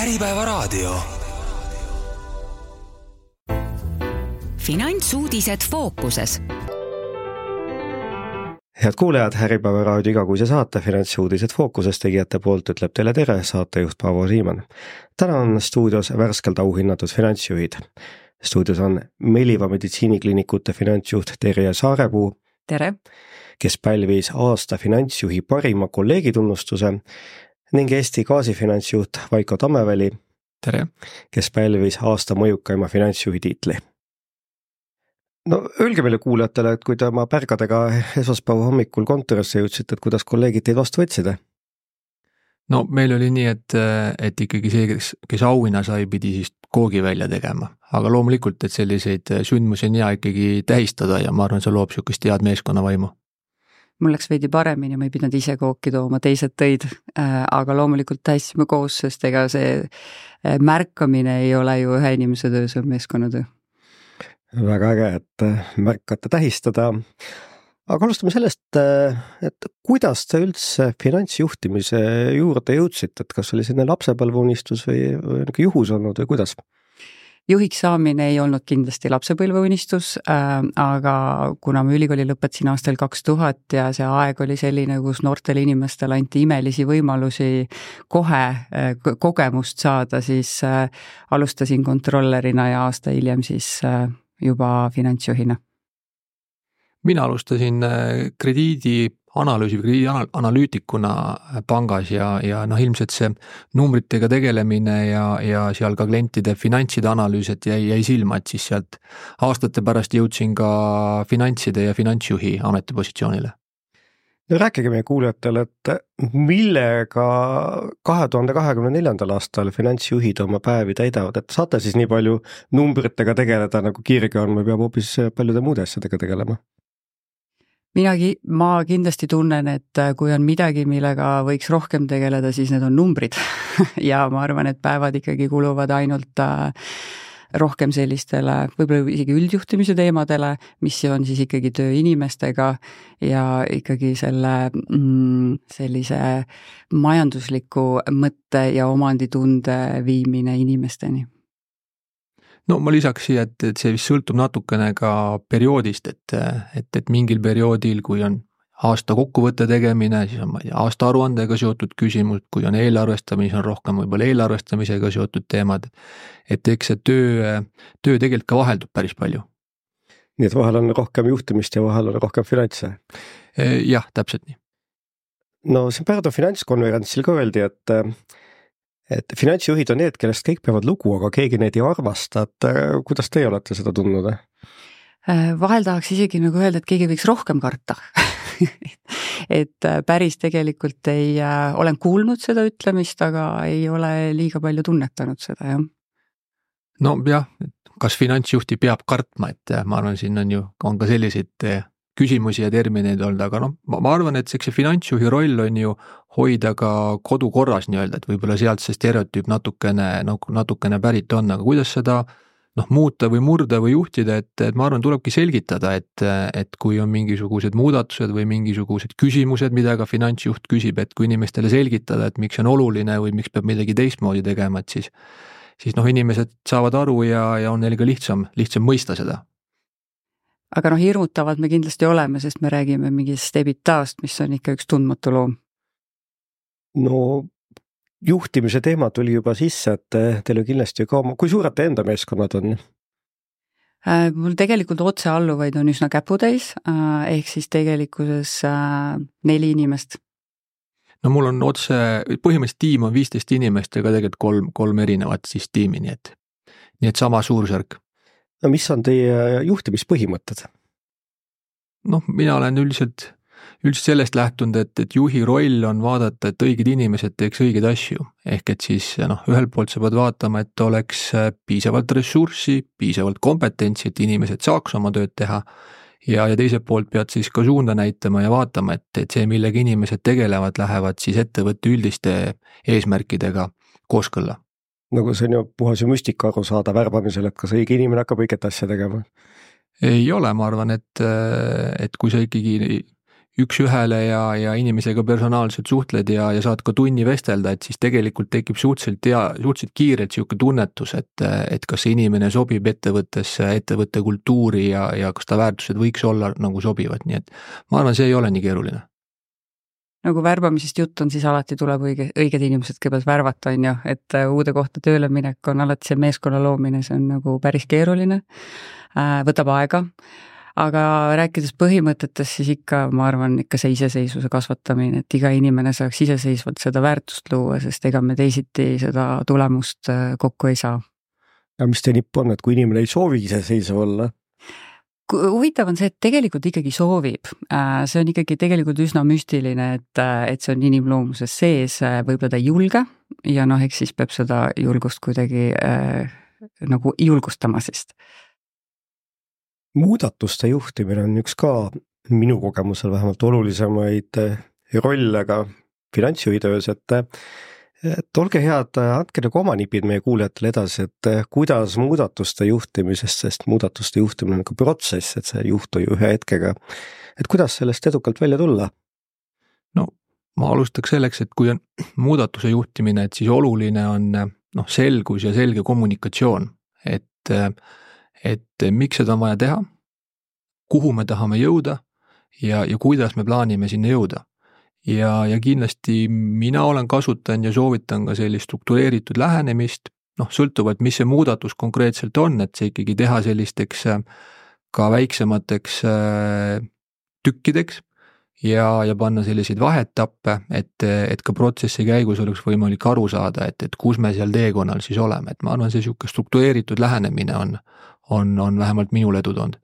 Äripäevaraadio. Finantsuudised fookuses. Head kuulejad, Äripäevaraadio igakuise saate Finantsuudised fookuses tegijate poolt ütleb teile tere saatejuht Paavo Siimann. Täna on stuudios värskelt auhinnatud finantsjuhid. Stuudios on Meliva meditsiiniklinikute finantsjuht Terje Saarepuu, tere, kes pälvis aasta finantsjuhi parima kolleegitunnustuse, ning Eesti Gaasi finantsjuht Vaiko Tammeväli, tere, kes pälvis aasta mõjukaima finantsjuhi tiitli. No öelge meile kuulajatele, et kui te oma pärgadega esmaspäeva hommikul kontorisse jõudsite, et kuidas kolleegid teid vastu võtside? No meil oli nii, et ikkagi see, kes auhinna sai, pidi siis koogi välja tegema. Aga loomulikult, et selliseid sündmusi on hea ikkagi tähistada ja ma arvan, see loob sihukest head meeskonnavaimu. Mul läks veidi paremini, ma ei pidanud ise kooki tooma, teised tõid, aga loomulikult tähistasime koos, sest ega see märkamine ei ole ju ühe inimese töö, see on meeskonnatöö. Väga äge, et märkate tähistada. Aga alustame sellest, et kuidas te üldse finantsjuhtimise juurde jõudsite, et kas oli selline lapsepõlveunistus või juhus olnud või kuidas? Juhiks saamine ei olnud kindlasti lapsepõlveunistus, aga kuna ma ülikooli lõpetasin aastal 2000 ja see aeg oli selline, kus noortele inimestele anti imelisi võimalusi kohe kogemust saada, siis alustasin kontrollerina ja aasta hiljem siis juba finantsjuhina. Mina alustasin krediidianalüütikuna pangas ja ilmselt see numbritega tegelemine ja seal ka klientide finantside analüüsed jäi silma, et siis sealt aastate pärast jõudsin ka finantside ja finantsjuhi ametipositsioonile. No rääkige meie kuulajatele, et millega 2024. aastal finantsjuhid oma päevi täidavad, et saate siis nii palju numbritega tegeleda nagu kirge on või peab hoopis paljude muude asjadega tegelema? Ma kindlasti tunnen, et kui on midagi, millega võiks rohkem tegeleda, siis need on numbrid ja ma arvan, et päevad ikkagi kuluvad ainult rohkem sellistele, võib-olla isegi üldjuhtimise teemadele, mis on siis ikkagi töö inimestega ja ikkagi sellise majandusliku mõtte ja omanditunde viimine inimesteni. No ma lisaks siia, et see vist sõltub natukene ka perioodist, et mingil perioodil, kui on aasta kokkuvõtte tegemine, siis on aasta aruandega seotud küsimus, kui on eelarvestamine, on rohkem võib-olla eelarvestamisega seotud teemad, et eks see töö tegelikult ka vaheldub päris palju. Nii et vahel on rohkem juhtimist ja vahel on rohkem finantse? Jah, täpselt nii. No siin Pärnu finantskonverentsil ka öeldi, et finantsjuhid on need, kellest kõik peavad lugu, aga keegi neid ei armasta, et kuidas teie olete seda tundnud? Vahel tahaks isegi nagu öelda, et keegi võiks rohkem karta. Et päris tegelikult olen kuulnud seda ütlemist, aga ei ole liiga palju tunnetanud seda, jah. No jah, kas finantsjuhti peab kartma, et ma arvan, siin on ka selliseid küsimusi ja termineid olnud, aga ma arvan, et see finantsjuhi roll on ju hoida ka kodu korras nii-öelda, et võib-olla sealt see stereotüüp natukene pärit on, aga kuidas seda muuta või murda või juhtida, et ma arvan, tulebki selgitada, et kui on mingisugused muudatused või mingisugused küsimused, mida ka finantsjuht küsib, et kui inimestele selgitada, et miks on oluline või miks peab midagi teistmoodi tegema, et siis inimesed saavad aru ja on neil ka lihtsam mõista seda. Aga hirmutavad me kindlasti oleme, sest me räägime mingist EBITDA-st, mis on ikka üks tundmatu loom. No juhtimise teema tuli juba sisse, et teil on kindlasti ka kui suured te enda meeskonnad on? Mul tegelikult otsealluvaid on üsna käputäis, ehk siis tegelikkuses 4 inimest. No mul on põhimõtteliselt tiim on 15 inimest ja ka tegelikult 3 erinevat siis tiimi, nii et sama suursärk. No mis on teie juhtimispõhimõtted? Mina olen üldiselt sellest lähtunud, et juhi roll on vaadata, et õiged inimesed teeks õigeid asju. Ehk et siis ühelt poolt sa pead vaatama, et oleks piisavalt ressurssi, piisavalt kompetentsi, et inimesed saaks oma tööd teha. Ja teiselt poolt pead siis ka suunda näitama ja vaatama, et see, millega inimesed tegelevad, lähevad siis ettevõtte üldiste eesmärkidega kooskõlla. Nagu see on ju puhas ja müstika aru saada värbamisel, et kas õige inimene hakkab õiget asja tegema? Ei ole, ma arvan, et kui sa ikkagi üks ühele ja inimesega personaalselt suhtled ja saad ka tunni vestelda, et siis tegelikult tekib suhteliselt kiirelt sihuke tunnetus, et kas see inimene sobib ettevõttesse, ettevõtte kultuuri ja kas ta väärtused võiks olla nagu sobivad, nii et ma arvan, see ei ole nii keeruline. Nagu värbamisest jutt on, siis alati tuleb õiged inimesed kõigepealt värvata, on ju, et uude kohta tööle minek on alati see meeskonna loomine, see on nagu päris keeruline, võtab aega, aga rääkides põhimõtetest, siis ikka, ma arvan, ikka see iseseisvuse kasvatamine, et iga inimene saaks iseseisvalt seda väärtust luua, sest ega me teisiti seda tulemust kokku ei saa. Ja mis see nipp on, et kui inimene ei soovi iseseisev olla? Huvitav on see, et tegelikult ikkagi soovib. See on ikkagi tegelikult üsna müstiline, et see on inimloomuses sees, võib-olla ta ei julge ja eks siis peab seda julgust kuidagi nagu julgustama sest. Muudatuste juhtimine on üks ka minu kogemusel vähemalt olulisemaid rolle ka finantsjuhi töös, et olge head, andke nagu oma nipid meie kuulajatele edasi, et kuidas muudatuste juhtimisest, sest muudatuste juhtimine on nagu protsess, et see juhtu ju ühe hetkega, et kuidas sellest edukalt välja tulla? No ma alustaks selleks, et kui on muudatuse juhtimine, et siis oluline on selgus ja selge kommunikatsioon, et miks seda on vaja teha, kuhu me tahame jõuda ja kuidas me plaanime sinna jõuda. Ja kindlasti mina olen kasutanud ja soovitan ka sellist struktureeritud lähenemist, sõltuvalt, mis see muudatus konkreetselt on, et see ikkagi teha sellisteks ka väiksemateks tükkideks ja panna selliseid vahettappe, et ka protsessi käigus oleks võimalik aru saada, et kus me seal teekonnal siis oleme, et ma arvan, see sihuke struktureeritud lähenemine on vähemalt minul edu toonud.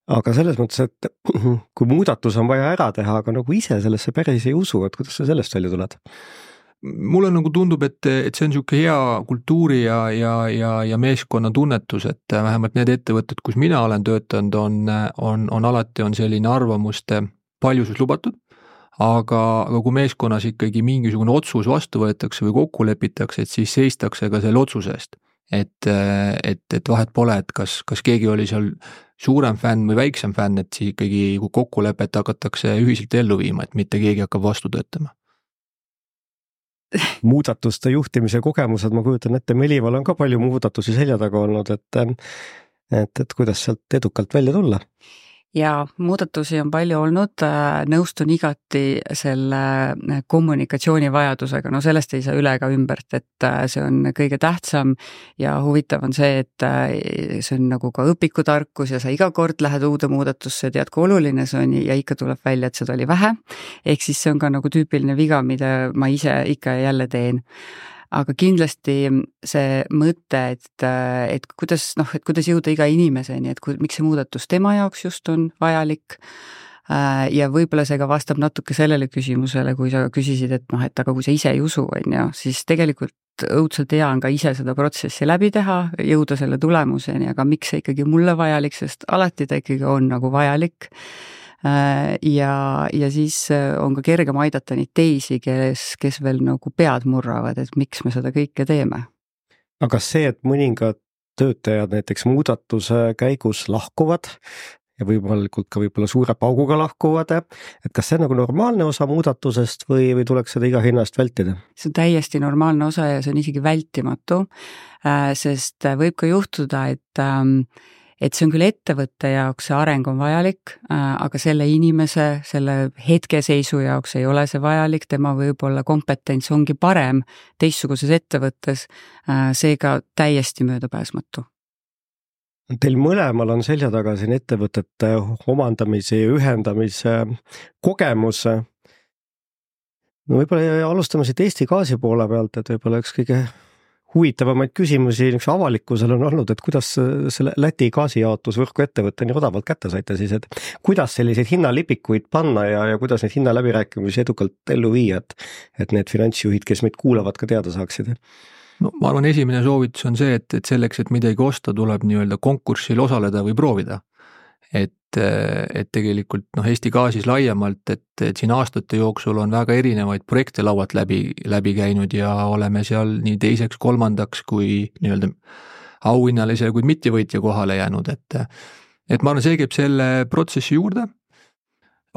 Aga selles mõttes, et kui muudatus on vaja ära teha, aga nagu ise sellesse päris ei usu, et kuidas sa sellest välja tuled? Mulle nagu tundub, et see on sihuke hea kultuuri ja meeskonna tunnetus, et vähemalt need ettevõtted, kus mina olen töötanud, on alati selline arvamuste paljusus lubatud, aga kui meeskonnas ikkagi mingisugune otsus vastu võetakse või kokku lepitakse, et siis seistakse ka selle otsuse eest. Et vahet pole, et kas keegi oli seal suurem fänn või väiksem fänn, et siis ikkagi kokkulepet hakatakse ühiselt ellu viima, et mitte keegi hakkab vastu töötama. Muudatuste juhtimise kogemused, ma kujutan ette, Melival on ka palju muudatusi selja taga olnud, et kuidas sealt edukalt välja tulla? Ja muudatusi on palju olnud, nõustun igati selle kommunikatsiooni vajadusega, sellest ei saa üle ega ümbert, et see on kõige tähtsam ja huvitav on see, et see on nagu ka õpikutarkus ja sa iga kord lähed uude muudatusse, tead, kui oluline see on ja ikka tuleb välja, et seda oli vähe, ehk siis see on ka nagu tüüpiline viga, mida ma ise ikka ja jälle teen. Aga kindlasti see mõte, et kuidas jõuda iga inimeseni, et miks see muudatus tema jaoks just on vajalik ja võib-olla see ka vastab natuke sellele küsimusele, kui sa küsisid, et aga kui sa ise ei usu, siis tegelikult õudselt hea on ka ise seda protsessi läbi teha, jõuda selle tulemuseni, aga miks see ikkagi mulle vajalik, sest alati ta ikkagi on nagu vajalik. Ja siis on ka kergem aidata neid teisi, kes veel nagu pead murravad, et miks me seda kõike teeme. Aga see, et mõningad töötajad näiteks muudatuse käigus lahkuvad ja võimalikult ka võib-olla suure pauguga lahkuvad, et kas see on nagu normaalne osa muudatusest või tuleks seda iga hinnast vältida? See on täiesti normaalne osa ja see on isegi vältimatu, sest võib ka juhtuda, et see on küll ettevõtte jaoks, see areng on vajalik, aga selle inimese, selle hetkeseisu jaoks ei ole see vajalik, tema võib-olla kompetents ongi parem teistsuguses ettevõttes, seega täiesti möödapääsmatu. Teil mõlemal on selja taga siin ettevõtete omandamise ja ühendamise kogemus. No võib-olla alustame siit Eesti Gaasi poole pealt, et võib-olla üks kõige huvitavamaid küsimusi avalikkusel on olnud, et kuidas selle Läti gaasijaotusvõrku ettevõtte nii odavalt kätte saite siis, et kuidas selliseid hinnalipikuid panna ja kuidas neid hinnaläbirääkimisi edukalt ellu viia, et need finantsjuhid, kes meid kuulavad, ka teada saaksid? No ma arvan, esimene soovitus on see, et selleks, et midagi osta, tuleb nii-öelda konkursil osaleda või proovida. Et tegelikult Eesti Gaasis laiemalt, et siin aastate jooksul on väga erinevaid projekte laualt läbi käinud ja oleme seal nii teiseks, kolmandaks kui nii-öelda auhinnalise kui mittevõitja kohale jäänud, et ma arvan, see käib selle protsessi juurde,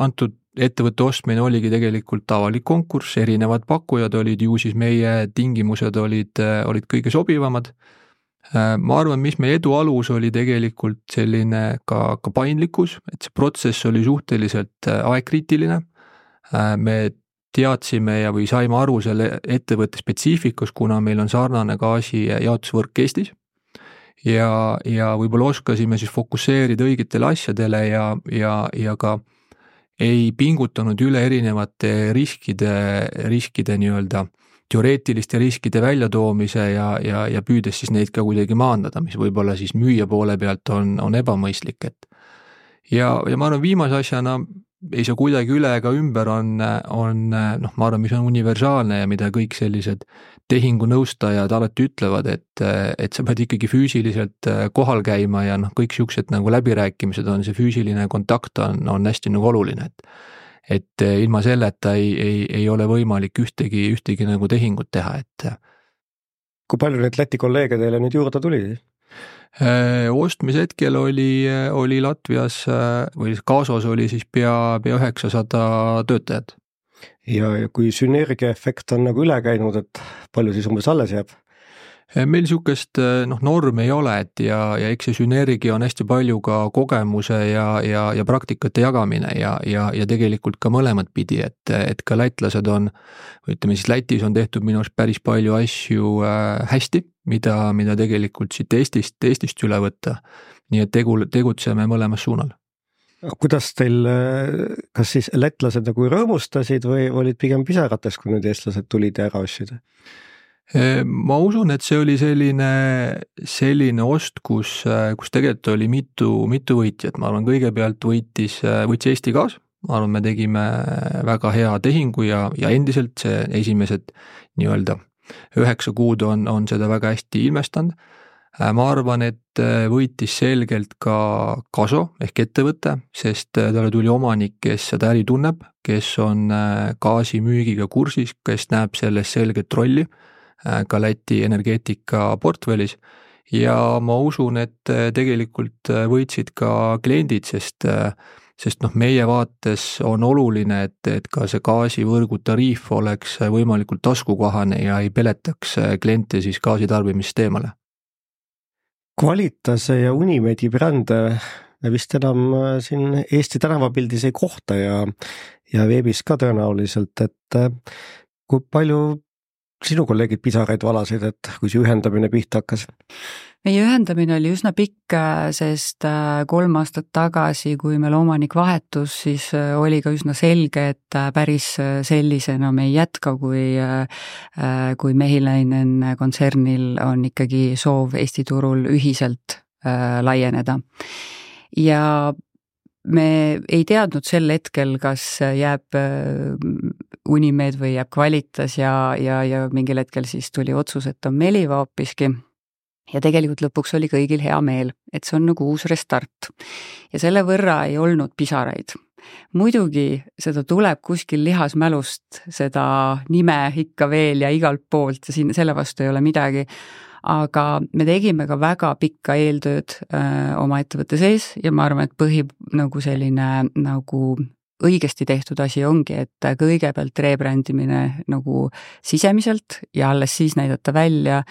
antud ettevõtte ostmine oligi tegelikult avalik konkurss, erinevad pakkujad olid, ju siis meie tingimused olid kõige sobivamad. Ma arvan, mis meie edu alus oli tegelikult selline ka paindlikkus, et see protsess oli suhteliselt aegkriitiline. Me teadsime või saime aru selle ettevõtte spetsiifikus, kuna meil on sarnane gaasi jaotusvõrk Eestis ja võib-olla oskasime siis fokusseerida õigetele asjadele ja ka ei pingutanud üle erinevate riskide nii-öelda teoreetiliste riskide väljatoomise ja püüdes siis neid ka kuidagi maandada, mis võib-olla siis müüja poole pealt on ebamõistlik. Ja ma arvan, viimase asjana ei saa kuidagi üle ega ümber on ma arvan, mis on universaalne ja mida kõik sellised tehingunõustajad alati ütlevad, et sa pead ikkagi füüsiliselt kohal käima ja kõik siuksed nagu läbirääkimised on, see füüsiline kontakt on hästi nagu oluline, et ilma selleta ei ole võimalik ühtegi nagu tehingut teha, et. Kui palju neid Läti kolleege teile nüüd juurde tuli? Ostmise hetkel oli Latvias või Kaasos oli siis pea 900 töötajat. Ja kui sünergiaefekt on nagu üle käinud, et palju siis umbes alles jääb? Meil siukest normi ei ole, et ja eks see sünergia on hästi palju ka kogemuse ja praktikate jagamine ja tegelikult ka mõlemad pidi, et ka lätlased on, ütleme siis Lätis on tehtud minu arust päris palju asju hästi, mida tegelikult siit Eestist üle võtta, nii et tegutseme mõlemas suunal. Kuidas teil, kas siis lätlased nagu rõõmustasid või olid pigem pisarates, kui nüüd eestlased tulid ja ära ostsid? Ma usun, et see oli selline ost, kus tegelikult oli mitu võitjat. Ma arvan, kõigepealt võitis Eesti Gaas. Ma arvan, me tegime väga hea tehingu ja endiselt see esimesed nii-öelda 9 kuud on seda väga hästi ilmestanud. Ma arvan, et võitis selgelt ka Kaso ehk ettevõte, sest talle tuli omanik, kes seda äri tunneb, kes on gaasimüügiga kursis, kes näeb selles selget rolli ka Läti energeetika portfellis ja ma usun, et tegelikult võitsid ka kliendid, sest meie vaates on oluline, et ka see gaasivõrgu tariif oleks võimalikult taskukohane ja ei peletaks kliente siis gaasitarbimist eemale. Qualitase ja Unimedi brände vist enam siin Eesti tänavapildis ei kohta ja veebis ka tõenäoliselt, et kui palju sinu kolleegid pisaraid valasid, et kui see ühendamine pihta hakkas? Meie ühendamine oli üsna pikk, sest 3 aastat tagasi, kui meil omanik vahetus, siis oli ka üsna selge, et päris sellisena me ei jätka, kui Mehiläinen kontsernil on ikkagi soov Eesti turul ühiselt laieneda. Ja me ei teadnud sel hetkel, kas jääb Unimed või jääb Qualitas ja mingil hetkel siis tuli otsus, et on Meliva hoopiski. Ja tegelikult lõpuks oli kõigil hea meel, et see on nagu uus restart. Ja selle võrra ei olnud pisaraid. Muidugi seda tuleb kuskil lihasmälust, seda nime ikka veel ja igalt poolt ja siin selle vastu ei ole midagi. Aga me tegime ka väga pikka eeltööd oma ettevõtte sees ja ma arvan, et nagu selline nagu õigesti tehtud asi ongi, et kõigepealt rebrändimine nagu sisemiselt ja alles siis näidata välja,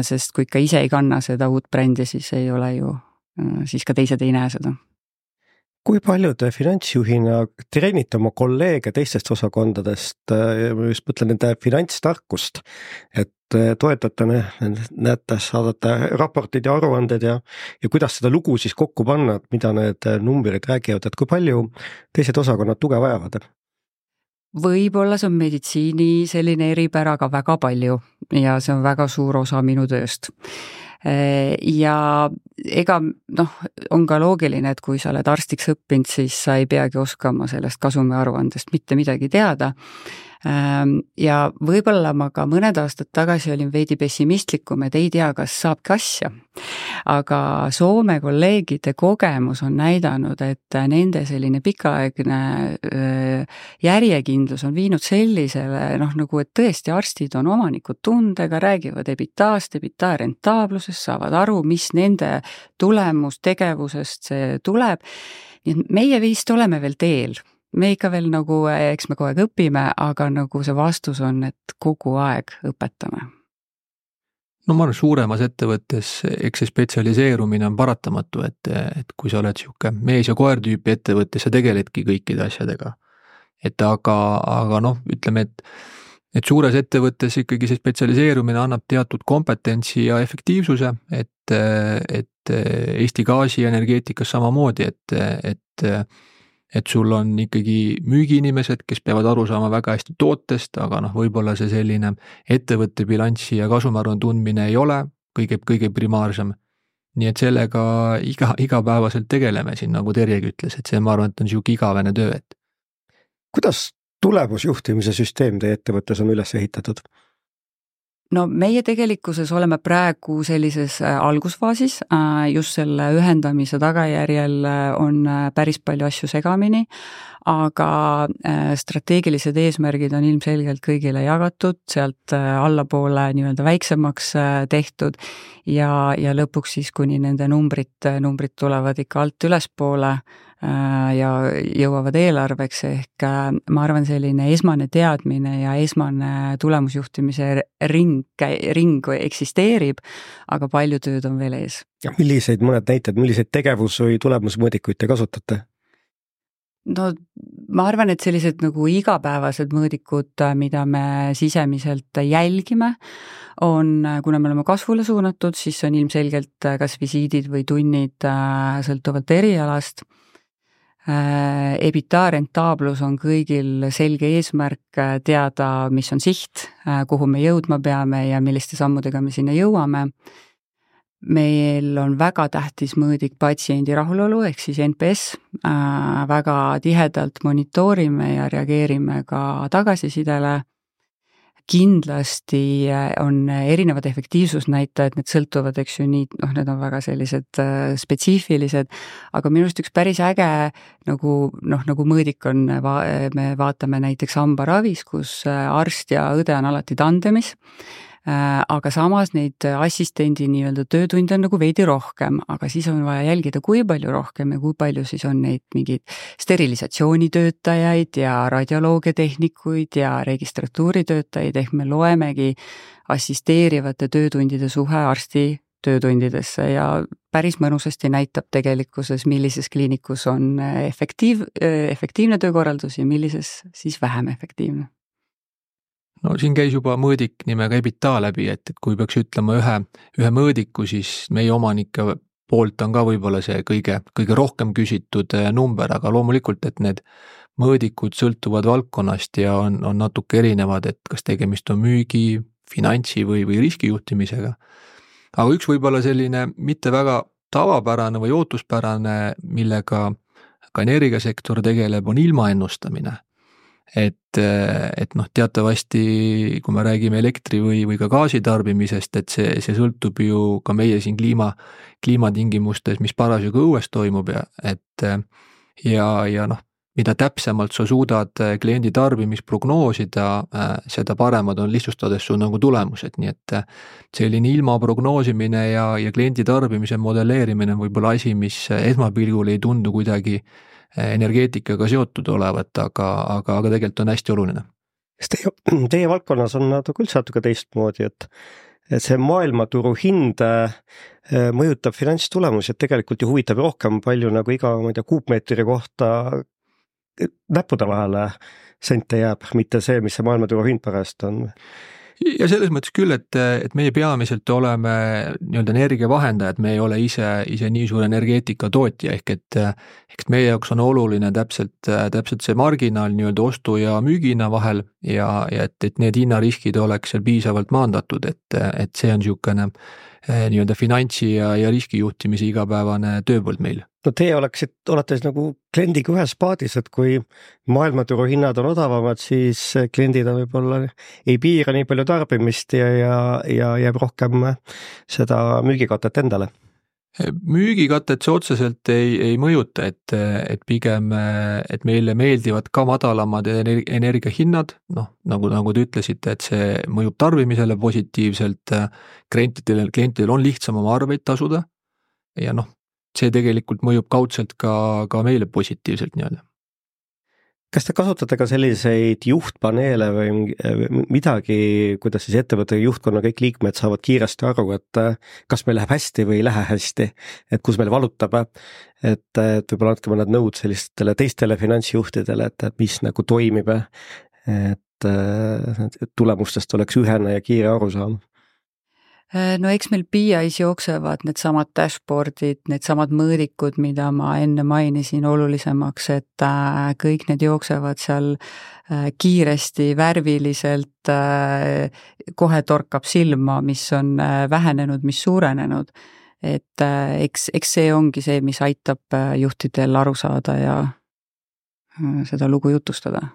sest kui ikka ise ei kanna seda uut brändi, siis ei ole ju, siis ka teised ei näe seda. Kui palju te finantsjuhina treenite oma kolleege teistest osakondadest, ma just mõtlen nende finantstarkust, et toetate, näete, saadate raportid ja aruanded ja kuidas seda lugu siis kokku panna, et mida need numbrid räägivad, et kui palju teised osakonnad tuge vajavad? Võib-olla see on meditsiini selline eripära ka väga palju ja see on väga suur osa minu tööst. Ja ega on ka loogiline, et kui sa oled arstiks õppinud, siis sa ei peagi oskama sellest kasumiaruandest mitte midagi teada. Ja võib-olla ma ka mõned aastad tagasi olin veidi pessimistlikum, et ei tea, kas saabki asja. Aga Soome kolleegide kogemus on näidanud, et nende selline pikaaegne järjekindlus on viinud sellisele, nagu et tõesti arstid on omanikud tundega, räägivad EBITDA-st, EBITDA rentaablusest, saavad aru, mis nende tulemustegevusest see tuleb. Nii et meie vist oleme veel teel. me ikka veel nagu, eks me kogu aeg õpime, aga nagu see vastus on, et kogu aeg õpetame. No ma arvan, suuremas ettevõttes eks see spetsialiseerumine on paratamatu, et kui sa oled sihuke mees ja koer tüüpi ettevõttes, sa tegeledki kõikide asjadega. Et aga noh, ütleme, et suures ettevõttes ikkagi see spetsialiseerumine annab teatud kompetentsi ja efektiivsuse, et Eesti Gaasi energeetikas samamoodi, et sul on ikkagi müügiinimesed, kes peavad aru saama väga hästi tootest, aga noh, võib-olla see selline ettevõtte bilanssi ja kasumiaruande tundmine ei ole kõige primaarsem. Nii et sellega igapäevaselt tegeleme siin, nagu Terjegi ütles, et see ma arvan, et on siuke igavene töö, et. Kuidas tulemusjuhtimise süsteem teie ettevõttes on üles ehitatud? No meie tegelikkuses oleme praegu sellises algusfaasis, just selle ühendamise tagajärjel on päris palju asju segamini, aga strateegilised eesmärgid on ilmselgelt kõigile jagatud, sealt allapoole nii-öelda väiksemaks tehtud ja lõpuks siis, kuni nende numbrid tulevad ikka alt ülespoole ja jõuavad eelarveks, ehk ma arvan, selline esmane teadmine ja esmane tulemusjuhtimise ring eksisteerib, aga palju tööd on veel ees. Ja milliseid mõned näited, milliseid tegevus- või tulemusmõõdikuid te kasutate? No ma arvan, et sellised nagu igapäevased mõõdikud, mida me sisemiselt jälgime, on, kuna me oleme kasvule suunatud, siis on ilmselgelt kas visiidid või tunnid sõltuvalt erialast. EBITDA rentaablus on kõigil selge eesmärk teada, mis on siht, kuhu me jõudma peame ja milliste sammudega me sinna jõuame. Meil on väga tähtis mõõdik patsiendi rahulolu, ehk siis NPS, väga tihedalt monitoorime ja reageerime ka tagasisidele. Kindlasti on erinevad efektiivsusnäitajad, need sõltuvad, eks ju, nii, need on väga sellised spetsiifilised, aga minu arust üks päris äge nagu mõõdik on, me vaatame näiteks hambaravis, kus arst ja õde on alati tandemis, aga samas neid assistendi nii-öelda töötunde on nagu veidi rohkem, aga siis on vaja jälgida, kui palju rohkem ja kui palju siis on neid mingeid sterilisatsioonitöötajaid ja radioloogiatehnikuid ja registratuuritöötajaid, ehk me loemegi assisteerivate töötundide suhe arsti töötundidesse ja päris mõnusasti näitab tegelikkuses, millises kliinikus on efektiivne töökorraldus ja millises siis vähem efektiivne. No siin käis juba mõõdik nimega EBITDA läbi, et kui peaks ütlema ühe mõõdiku, siis meie omanike poolt on ka võib-olla see kõige rohkem küsitud number, aga loomulikult, et need mõõdikud sõltuvad valdkonnast ja on natuke erinevad, et kas tegemist on müügi, finantsi või riskijuhtimisega. Aga üks võib-olla selline mitte väga tavapärane või ootuspärane, millega ka energiasektor tegeleb, on ilmaennustamine. Et noh, teatavasti, kui me räägime elektri või ka gaasi tarbimisest, et see sõltub ju ka meie siin kliimatingimustes, mis parasjagu õues toimub ja noh, mida täpsemalt sa suudad kliendi tarbimist prognoosida, seda paremad on lihtsustades su nagu tulemused, nii et selline ilma prognoosimine ja kliendi tarbimise modelleerimine on võib-olla asi, mis esmapilgul ei tundu kuidagi energeetikaga seotud olevat, aga tegelikult on hästi oluline. Teie valdkonnas on üldse natuke teistmoodi, et see maailmaturu hind mõjutab finantstulemusi, et tegelikult ju huvitab rohkem palju nagu iga kuupmeetri kohta näppude vahele sente jääb, mitte see, mis see maailmaturu hind pärast on. Ja selles mõttes küll, et meie peamiselt oleme nii-öelda energiavahendajad, me ei ole ise nii suur energeetika tootja, ehk et meie jaoks on oluline täpselt see marginaal nii-öelda ostu ja müügina vahel ja et need hinnariskid oleks seal piisavalt maandatud, et see on niisugune nii-öelda finantsi ja riskijuhtimise igapäevane tööpõld meil. No teie olete siis nagu kliendiga ühes paadis, et kui maailmaturu hinnad on odavamad, siis kliendid on võib-olla ei piira nii palju tarbimist ja jääb rohkem seda müügikatet endale. Müügikatet see otseselt ei mõjuta, et pigem, et meile meeldivad ka madalamad energiahinnad, noh, nagu te ütlesite, et see mõjub tarbimisele positiivselt, klientidel on lihtsam oma arveid tasuda ja noh, see tegelikult mõjub kaudselt ka meile positiivselt nii-öelda. Kas te kasutate ka selliseid juhtpaneele või midagi, kuidas siis ettevõtte juhtkonna kõik liikmed saavad kiiresti aru, et kas meil läheb hästi või ei lähe hästi, et kus meil valutab, et võib-olla andke mõned nõud sellistele teistele finantsjuhtidele, et mis nagu toimib, et tulemustest oleks ühene ja kiire arusaam? No eks meil BI-s jooksevad need samad dashboardid, need samad mõõdikud, mida ma enne mainisin olulisemaks, et kõik need jooksevad seal kiiresti, värviliselt, kohe torkab silma, mis on vähenenud, mis suurenenud. Et eks see ongi see, mis aitab juhtidel aru saada ja seda lugu jutustada.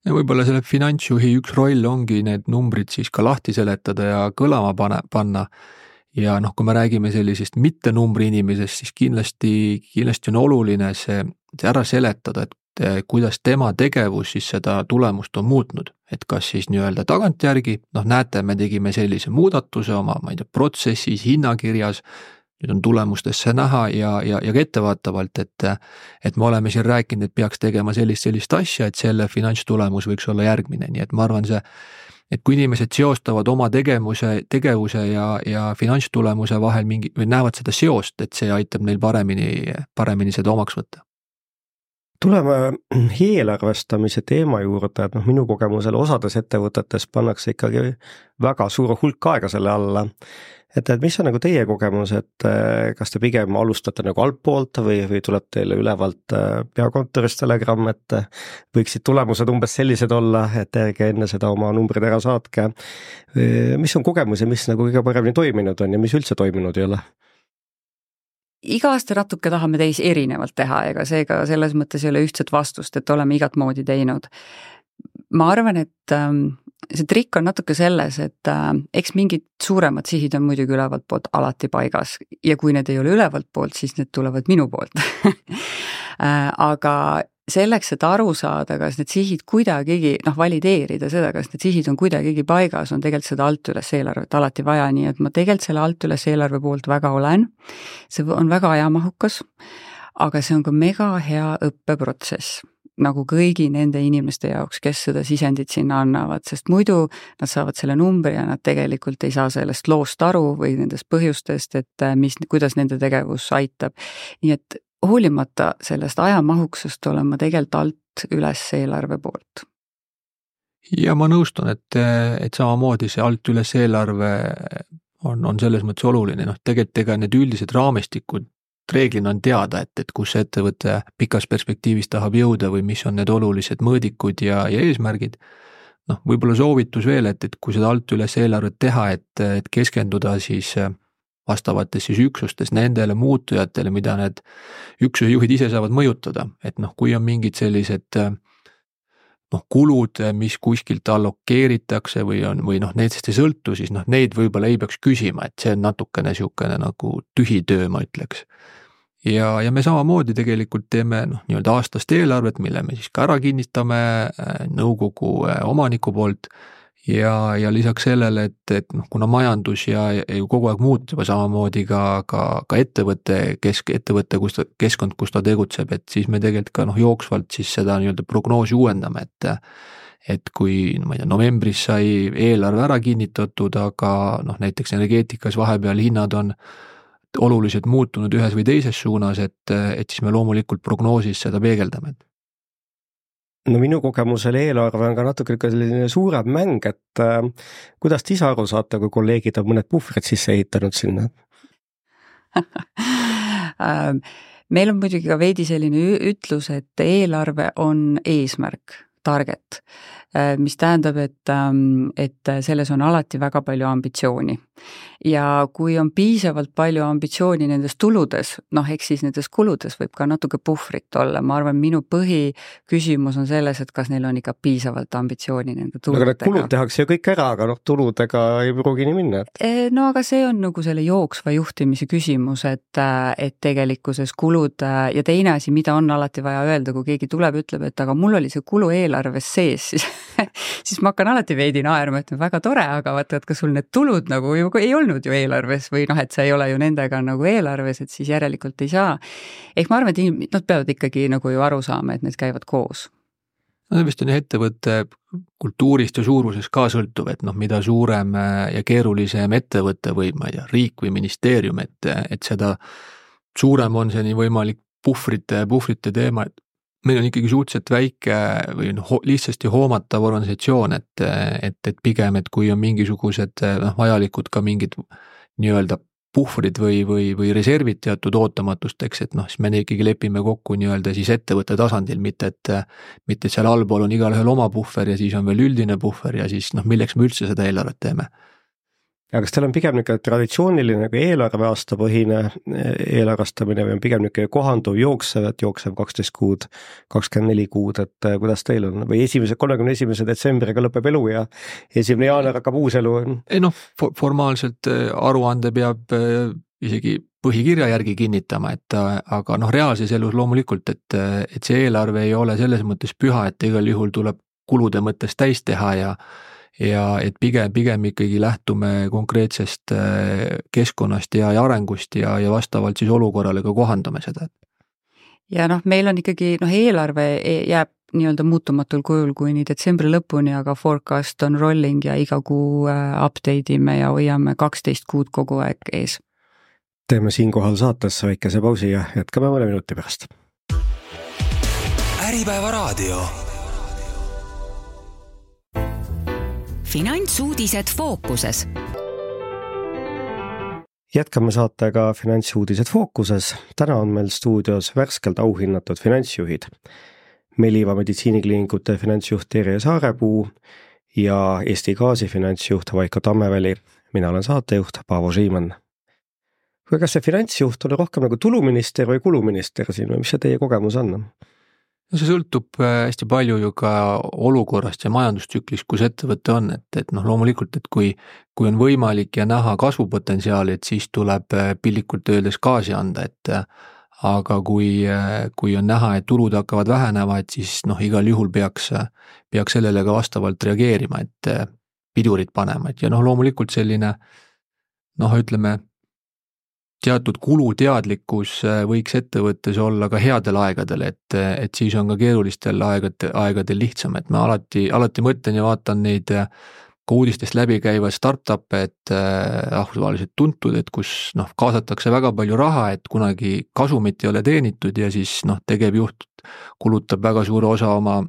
Ja võib-olla selle finantsjuhi üks roll ongi need numbrid siis ka lahti seletada ja kõlama panna. Ja kui me räägime sellisest mitte numbri inimesest, siis kindlasti on oluline see ära seletada, et kuidas tema tegevus siis seda tulemust on muutnud. Et kas siis nii-öelda tagantjärgi, näete, me tegime sellise muudatuse oma, protsessis, hinnakirjas, nüüd on tulemustesse näha ja ka ettevaatavalt, et me oleme siin rääkinud, et peaks tegema sellist asja, et selle finantstulemus võiks olla järgmine. Nii et ma arvan et kui inimesed seostavad oma tegevuse ja finantstulemuse vahel või näevad seda seost, et see aitab neil paremini seda omaks võtta. Tuleme eelarvestamise teema juurde, et minu kogemusel osades ettevõtetes pannakse ikkagi väga suur hulk aega selle alla. Et mis on nagu teie kogemus, et kas te pigem alustate nagu altpoolt või tuleb teile ülevalt peakontorist telegramm, et võiksid tulemused umbes sellised olla, et ärge enne seda oma numbrid ära saatke. Mis on kogemus ja mis nagu kõige paremini toiminud on ja mis üldse toiminud ei ole? Iga aasta natuke tahame teis erinevalt teha, ega seega selles mõttes ei ole ühtset vastust, et oleme igat moodi teinud. Ma arvan, et see trikk on natuke selles, et eks mingid suuremad sihid on muidugi ülevalt poolt alati paigas ja kui need ei ole ülevalt poolt, siis need tulevad minu poolt. Aga selleks, et aru saada, kas need sihid kuidagigi, valideerida seda, kas need sihid on kuidagigi paigas, on tegelikult seda alt üles eelarvet alati vaja, nii et ma tegelikult selle alt üles eelarve poolt väga olen. See on väga ajamahukas, aga see on ka mega hea õppeprotsess, nagu kõigi nende inimeste jaoks, kes seda sisendit sinna annavad, sest muidu nad saavad selle numbri ja nad tegelikult ei saa sellest loost aru või nendest põhjustest, et kuidas nende tegevus aitab. Nii et hoolimata sellest ajamahuksest olen ma tegelikult alt üles eelarve poolt. Ja ma nõustun, et samamoodi see alt üles eelarve on selles mõttes oluline. Tegelikult need üldised raamistikud reeglina on teada, et kus ettevõte pikas perspektiivis tahab jõuda või mis on need olulised mõõdikud ja eesmärgid. Võib-olla soovitus veel, et kui seda alt üles eelarvet teha, et keskenduda siis vastavates siis üksustes nendele muutujatele, mida need üksuse juhid ise saavad mõjutada. Et kui on mingid sellised kulud, mis kuskilt allokeeritakse või needest ei sõltu, siis neid võib-olla ei peaks küsima, et see on natukene niisugune nagu tühi töö, ma ütleks. Ja me samamoodi tegelikult teeme nii-öelda aastast eelarvet, mille me siis ka ära kinnitame nõukogu omaniku poolt ja lisaks sellele, et kuna majandus ja kogu aeg muutub samamoodi ka ettevõtte keskkond, kus ta tegutseb, et siis me tegelikult ka jooksvalt siis seda nii-öelda prognoosi uuendame, et kui novembris sai eelarve ära kinnitatud, aga näiteks energeetikas vahepeal hinnad on oluliselt muutunud ühes või teises suunas, et siis me loomulikult prognoosis seda peegeldame. No minu kogemusel eelarve on ka natuke selline suurem mäng, et kuidas te ise aru saate, kui kolleegid on mõned puhvrid sisse ehitanud sinna? Meil on muidugi ka veidi selline ütlus, et eelarve on eesmärk, target, mis tähendab, et selles on alati väga palju ambitsiooni. Ja kui on piisavalt palju ambitsiooni nendes tuludes, eks siis nendes kuludes võib ka natuke puhvrit olla. Ma arvan, minu põhiküsimus on selles, et kas neil on ikka piisavalt ambitsiooni nende tuludega. Aga need kulud tehakse ju kõik ära, aga tuludega ei pruugi nii minna. No aga see on nagu selle jooksva juhtimise küsimus, et tegelikkuses kulud ja teine asi, mida on alati vaja öelda, kui keegi tuleb, ütleb, et aga mul oli see kulu eelarves sees, siis ma hakkan alati veidi naerma, et väga tore, aga vaata, kas sul need tulud nagu ju ei olnud ju eelarves või et sa ei ole ju nendega nagu eelarves, et siis järelikult ei saa. Ehk ma arvan, et nad peavad ikkagi nagu ju aru saama, et need käivad koos. no vist on ettevõtte kultuurist ja suurusest ka sõltuv, et mida suurem ja keerulisem ettevõtte või ma ei tea, riik või ministeerium, et seda suurem on see nii võimalik puhvrite teema, et meil on ikkagi suhteliselt väike või lihtsasti hoomatav organisatsioon, et pigem, et kui on mingisugused vajalikud ka mingid nii-öelda puhvrid või reservid teatud ootamatusteks, et siis me ikkagi lepime kokku nii-öelda siis ettevõtte tasandil, mitte et seal allpool on igalühel oma puhver ja siis on veel üldine puhver ja siis milleks me üldse seda eelarvet teeme. Ja kas teil on pigem niisugune traditsiooniline eelarve aastapõhine eelarvestamine või on pigem niisugune kohanduv jooksev 12 kuud, 24 kuud, et kuidas teil on? Või 31. detsembriga lõpeb elu ja 1. jaanuar hakkab uus elu? Formaalselt aruande peab isegi põhikirja järgi kinnitama, aga reaalses elus loomulikult, et see eelarve ei ole selles mõttes püha, et igal juhul tuleb kulude mõttes täis teha ja et pigem ikkagi lähtume konkreetsest keskkonnast ja arengust ja vastavalt siis olukorrale ka kohandame seda. Ja meil on ikkagi, eelarve jääb nii-öelda muutumatul kujul kuni detsembri lõpuni, aga forecast on rolling ja iga kuu update ime ja hoiame 12 kuud kogu aeg ees. Teeme siinkohal saatesse väikese pausi ja jätkame mõne minuti pärast. Äripäeva raadio. Finantsuudised fookuses. Jätkame saatega Finantsuudised fookuses. Täna on meil stuudios värskelt auhinnatud finantsjuhid. Meliva meditsiinikliinikute finantsjuht Terje Saarepuu ja Eesti Gaasi finantsjuht Vaiko Tammeväli. Mina olen saatejuht Paavo Siimann. Kas see finantsjuht oli rohkem nagu tuluminister või kuluminister siin või mis see teie kogemus on? No see sõltub hästi palju ju ka olukorrast ja majandustsüklist, kus ettevõte on, et loomulikult, et kui on võimalik ja näha kasvupotentsiaali, et siis tuleb pillikult öeldes gaasi anda, aga kui on näha, et tulud hakkavad vähenema, et siis igal juhul peaks sellele ka vastavalt reageerima, et pidurid panema, et ja loomulikult selline ütleme, teatud kuluteadlikkus võiks ettevõttes olla ka headel aegadel, et siis on ka keerulistel aegadel lihtsam, et ma alati mõtlen ja vaatan neid ka uudistest läbi käivaid startup'e, et rahvusvaheliselt tuntud, et kus kaasatakse väga palju raha, et kunagi kasumit ei ole teenitud ja siis tegevjuht kulutab väga suure osa oma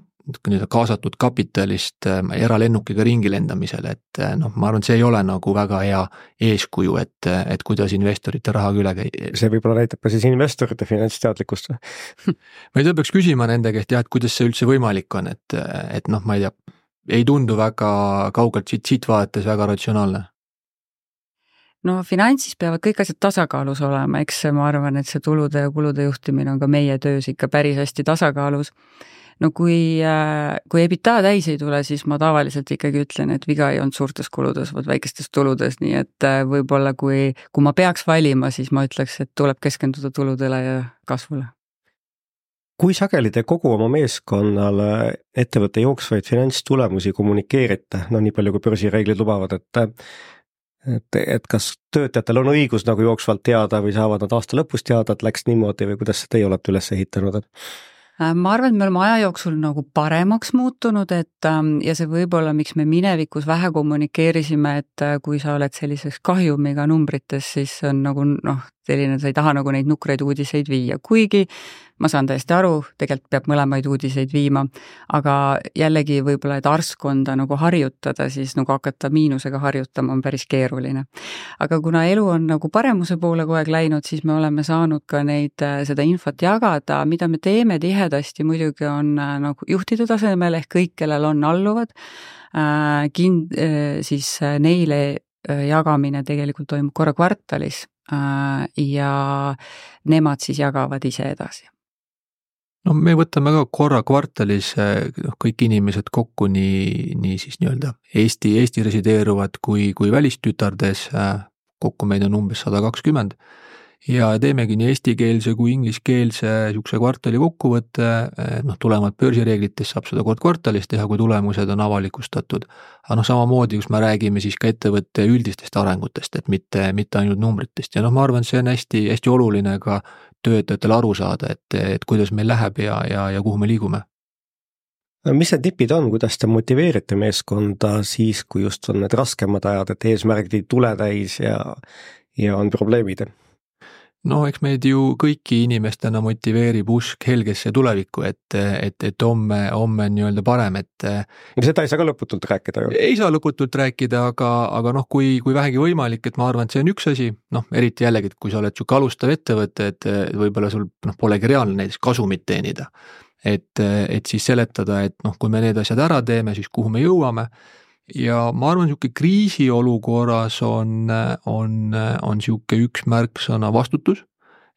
kaasatud kapitalist eralennukiga ringi lendamisele, et ma arvan, et see ei ole nagu väga hea eeskuju, et kuidas investorite rahaga üle käia. See võib-olla näitab ka siis investorite finantsteadlikkust. Ma ei tea, peaks küsima nende käest, et kuidas see üldse võimalik on, et ma ei tea, ei tundu väga kaugelt siit vaadates väga ratsionaalne. Finantsis peavad kõik asjad tasakaalus olema, eks ma arvan, et see tulude ja kulude juhtimine on ka meie töös ikka päris hästi tasakaalus. Kui EBITDA täis ei tule, siis ma tavaliselt ikkagi ütlen, et viga ei olnud suurtes kuludes, vaid väikestes tuludes, nii et võib-olla kui ma peaks valima, siis ma ütleks, et tuleb keskenduda tuludele ja kasvule. Kui sageli te kogu oma meeskonnale ettevõtte jooksvaid finantstulemusi kommunikeerite, nii palju kui börsireeglid lubavad, et kas töötajatel on õigus nagu jooksvalt teada või saavad nad aasta lõpus teada, et läks niimoodi või kuidas teie olete üles ehitanud? Ma arvan, et me oleme aja jooksul nagu paremaks muutunud, ja see võib-olla, miks me minevikus vähe kommunikeerisime, et kui sa oled selliseks kahjumiga numbrites, siis on nagu selline, sa ei taha nagu neid nukraid uudiseid viia, kuigi ma saan täiesti aru, tegelikult peab mõlemaid uudiseid viima, aga jällegi võib-olla, et arskonda nagu harjutada, siis nagu hakata miinusega harjutama on päris keeruline. Aga kuna elu on nagu paremuse poole kogu aeg läinud, siis me oleme saanud ka seda infot jagada, mida me teeme tihedasti muidugi on nagu juhtide tasemel ehk kõik, kellel on alluvad, siis neile jagamine tegelikult toimub korra kvartalis ja nemad siis jagavad ise edasi. Me võtame ka korra kvartalis kõik inimesed kokku, nii siis nii-öelda Eesti resideeruvad kui välistütardes, kokku meid on umbes 120 ja teemegi nii eestikeelse kui ingliskeelse niisuguse kvartali kokkuvõtte, tulemad börsireeglitest saab seda kord kvartalis teha, kui tulemused on avalikustatud. Aga samamoodi, kus me räägime siis ka ettevõtte üldistest arengutest, et mitte ainult numbritest ja ma arvan, et see on hästi oluline ka töötajatele aru saada, et kuidas meil läheb ja kuhu me liigume. mis need nipid on, kuidas te motiveerite meeskonda siis, kui just on need raskemad ajad, et eesmärgid ei tule täis ja on probleemid? No eks meid ju kõiki inimestena motiveerib usk helgesse tulevikku, et homme nii-öelda parem, et seda ei saa ka lõputult rääkida ju. Ei saa lõputult rääkida, aga noh, kui vähegi võimalik, et ma arvan, et see on üks asi, noh, eriti jällegi, et kui sa oled siuke alustav ettevõte, et võib-olla sul polegi reaalne näiteks kasumit teenida, et siis seletada, et noh, kui me need asjad ära teeme, siis kuhu me jõuame. Ja ma arvan, siuke kriisiolukorras on siuke üks märksõna vastutus,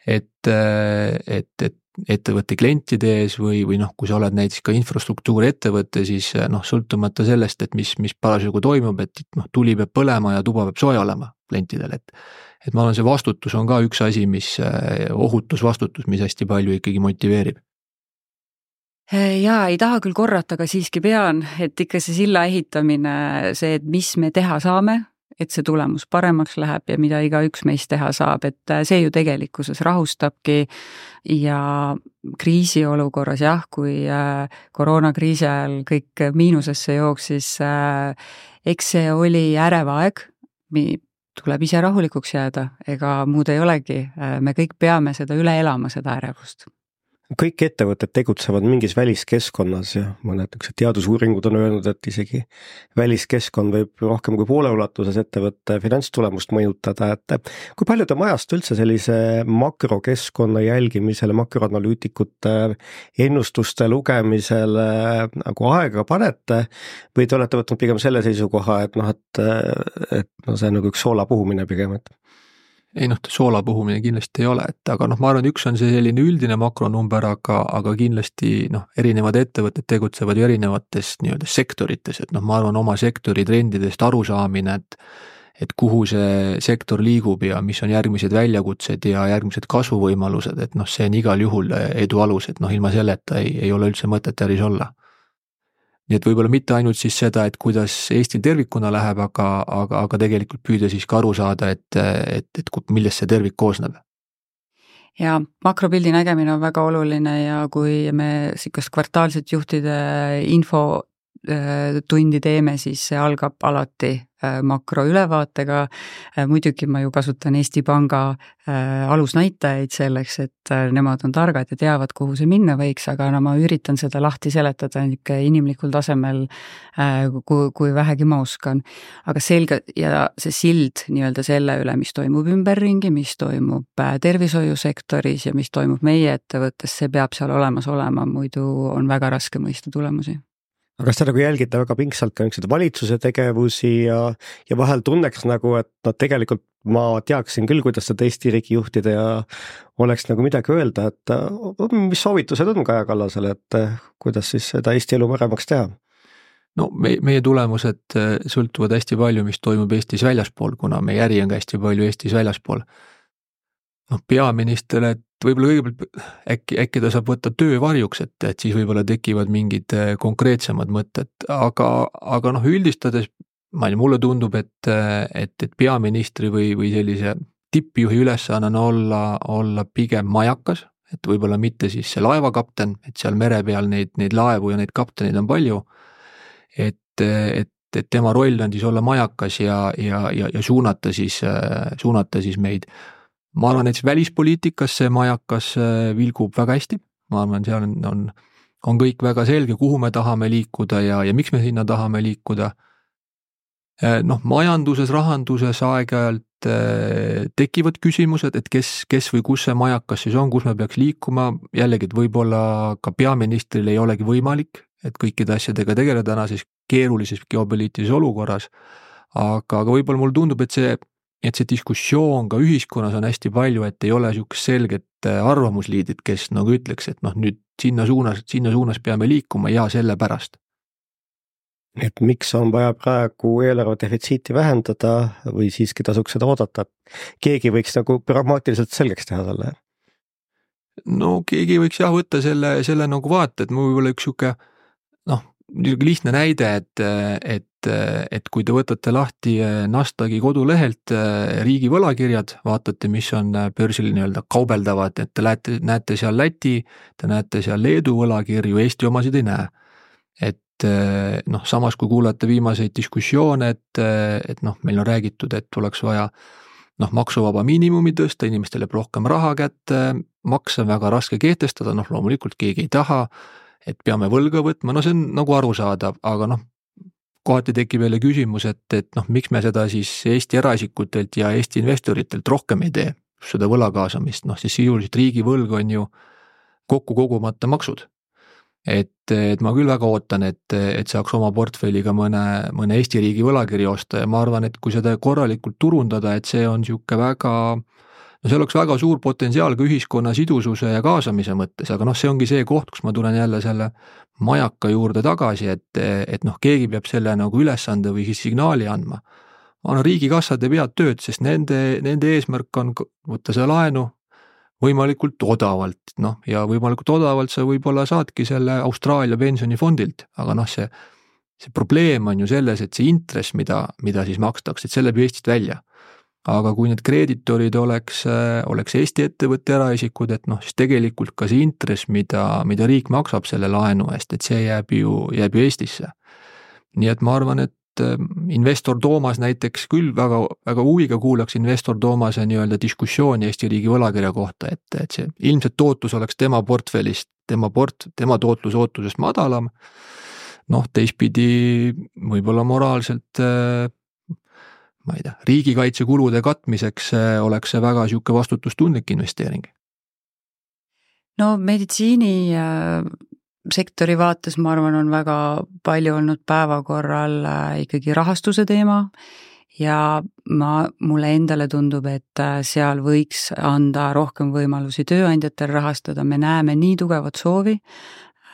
et ettevõtte klientide ees või noh, kui sa oled näiteks ka infrastruktuuri ettevõte, siis noh, sõltumata sellest, et mis parasjagu toimub, et noh, tuli peab põlema ja tuba peab sooja olema klientidel, et ma arvan, see vastutus on ka üks asi, ohutusvastutus, mis hästi palju ikkagi motiveerib. Jaa, ei taha küll korrata, aga siiski pean, et ikka see silla ehitamine, see, et mis me teha saame, et see tulemus paremaks läheb ja mida igaüks meist teha saab, et see ju tegelikkuses rahustabki ja kriisiolukorras jah, kui koroonakriisi ajal kõik miinusesse jooksis, eks see oli ärev aeg, tuleb ise rahulikuks jääda, ega muud ei olegi, me kõik peame seda üle elama, seda ärevust. Kõik ettevõtted tegutsevad mingis väliskeskkonnas ja mõned teadusuuringud on öelnud, et isegi väliskeskkond võib rohkem kui poole ulatuses ettevõtte finantstulemust mõjutada, et kui palju te majast üldse sellise makrokeskkonna jälgimisele, makroanalüütikute ennustuste lugemisele nagu aega panete või te olete võtnud pigem selle seisukoha, et see on nagu üks soola puhumine pigem, et ei noh, soola puhumine kindlasti ei ole, aga noh, ma arvan, üks on see selline üldine makronumber, aga kindlasti noh, erinevad ettevõtted tegutsevad ju erinevates nii-öelda sektorites, et noh, ma arvan oma sektori trendidest arusaamine, et kuhu see sektor liigub ja mis on järgmised väljakutsed ja järgmised kasvuvõimalused, et noh, see on igal juhul edu alus, et noh, ilma selleta ei ole üldse mõtet äris olla. Nii et võib-olla mitte ainult siis seda, et kuidas Eestil tervikuna läheb, aga tegelikult püüda siis ka aru saada, et millest see tervik koosneb. Ja makropildi nägemine on väga oluline ja kui me sikast kvartaalset juhtide infotundi teeme, siis see algab alati makroülevaatega. Muidugi ma ju kasutan Eesti Panga alusnäitajaid selleks, et nemad on targad ja teavad, kuhu see minna võiks, aga ma üritan seda lahti seletada inimlikul tasemel, kui vähegi ma oskan. Aga selge ja see sild nii-öelda selle üle, mis toimub ümberringi, mis toimub tervishoiusektoris ja mis toimub meie ettevõttes, see peab seal olemas olema, muidu on väga raske mõista tulemusi. Aga kas te nagu jälgite väga pingsalt ka valitsuse tegevusi ja vahel tunneks nagu, et tegelikult ma teaksin küll, kuidas seda Eesti riigi juhtida ja oleks nagu midagi öelda, et mis soovitused on Kaja Kallasele, et kuidas siis seda Eesti elu paremaks teha? No meie tulemused sõltuvad hästi palju, mis toimub Eestis väljaspool, kuna meie äri on ka hästi palju Eestis väljaspool. Noh, peaministrile, et võib-olla kõigepealt äkki ta saab võtta töövarjuks, et siis võib-olla tekivad mingid konkreetsemad mõtted, aga noh, üldistades mulle tundub, et peaministri või sellise tippjuhi ülesanne olla pigem majakas, et võib-olla mitte siis see laevakapten, et seal mere peal neid laevu ja neid kapteneid on palju, et tema roll on siis olla majakas ja suunata siis meid. Ma arvan, et välispoliitikas see majakas vilgub väga hästi, ma arvan, seal on kõik väga selge, kuhu me tahame liikuda ja miks me sinna tahame liikuda. Noh, majanduses, rahanduses aeg-ajalt tekivad küsimused, et kes või kus see majakas siis on, kus me peaks liikuma, jällegi, et võib-olla ka peaministril ei olegi võimalik, et kõikide asjadega tegeleda tänases keerulises geopoliitilises olukorras, aga võib-olla mulle tundub, et see diskussioon ka ühiskonnas on hästi palju, et ei ole niisugust selget arvamusliidid, kes nagu ütleks, et noh, nüüd sinna suunas peame liikuma ja sellepärast. Et miks on vaja praegu eelarve defitsiiti vähendada või siiski tasuks seda oodata? Keegi võiks nagu pragmaatiliselt selgeks teha selle? No keegi võiks jah võtta selle nagu vaata, et mul võib-olla üks siuke lihtne näide, et kui te võtate lahti Nasdaqi kodulehelt riigi võlakirjad, vaatate, mis on börsil nii-öelda kaubeldavad, et te näete seal Läti, te näete seal Leedu võlakirju, Eesti omasid ei näe. et noh, samas kui kuulata viimaseid diskussioone, et noh, meil on räägitud, et oleks vaja noh, maksuvaba miinimumi tõsta, inimestele rohkem raha kätte, makse on väga raske kehtestada, noh loomulikult keegi ei taha, et peame võlga võtma, no see on nagu arusaadav, aga noh, kohati tekib jälle küsimus, et noh, miks me seda siis Eesti eraisikutelt ja Eesti investoritelt rohkem ei tee, seda võla kaasamist, noh siis sisuliselt riigi võlg on ju kokku kogumata maksud. Et ma küll väga ootan, et saaks oma portfelliga mõne Eesti riigi võlakiri osta ja ma arvan, et kui seda korralikult turundada, et see on sihuke väga, no see oleks väga suur potentsiaal ka ühiskonna sidususe ja kaasamise mõttes, aga noh, see ongi see koht, kus ma tulen jälle selle majaka juurde tagasi, et noh, keegi peab selle nagu ülesande või signaali andma. No riigikassad peavad tööd, sest nende eesmärk on võtta see laenu võimalikult odavalt, noh, ja võimalikult odavalt sa võib-olla saadki selle Austraalia pensionifondilt, aga noh, see probleem on ju selles, et see intress, mida siis makstakse, et selle peab Eestist välja. Aga kui need kreeditorid oleks Eesti ettevõtte eraisikud, et noh, siis tegelikult ka see intress, mida riik maksab selle laenu eest, et see jääb ju Eestisse. Nii et ma arvan, et investor Toomas näiteks küll väga huviga kuulaks investor Toomase nii-öelda diskussiooni Eesti riigi võlakirja kohta, et see ilmselt tootlus oleks tema portfellist, tema tootlus ootusest madalam, noh teistpidi võib-olla moraalselt ma ei tea, riigikaitsekulude katmiseks oleks see väga sihuke vastutustundlik investeering. No meditsiini sektori vaates ma arvan, on väga palju olnud päevakorral ikkagi rahastuse teema ja mulle endale tundub, et seal võiks anda rohkem võimalusi tööandjatel rahastada, me näeme nii tugevat soovi,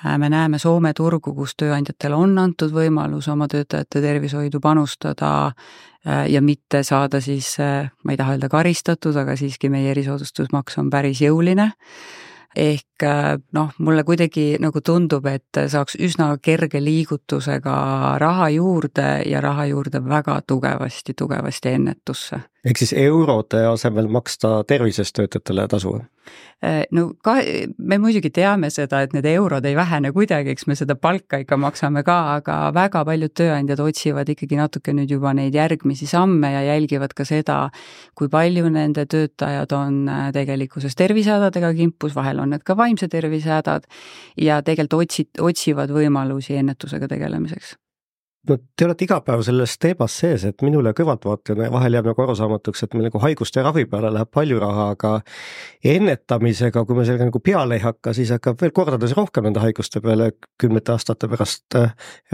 me näeme Soome turgu, kus tööandjatel on antud võimalus oma töötajate tervishoidu panustada ja mitte saada siis, ma ei taha öelda karistatud, aga siiski meie erisoodustusmaks on päris jõuline. Ehk noh, mulle kuidagi nagu tundub, et saaks üsna kerge liigutusega raha juurde ja raha juurde väga tugevasti ennetusse. Ehk siis eurode asemel maksta tervisest töötajatele tasu? No me muidugi teame seda, et need eurod ei vähene kuidagi, eks me seda palka ikka maksame ka, aga väga paljud tööandjad otsivad ikkagi natuke nüüd juba neid järgmisi samme ja jälgivad ka seda, kui palju nende töötajad on tegelikkuses tervisehädadega kimpus, vahel on need ka vaimse tervisehädad ja tegelikult otsivad võimalusi ennetusega tegelemiseks. No, te olete iga päev selles teemas sees, et minule kõrvaltvaatajana vahel jääb nagu arusaamatuks, et meil nagu haiguste ravi peale läheb palju raha, aga ennetamisega, kui me sellega nagu peale ei hakka, siis hakkab veel kordades rohkem nende haiguste peale 10 aastate pärast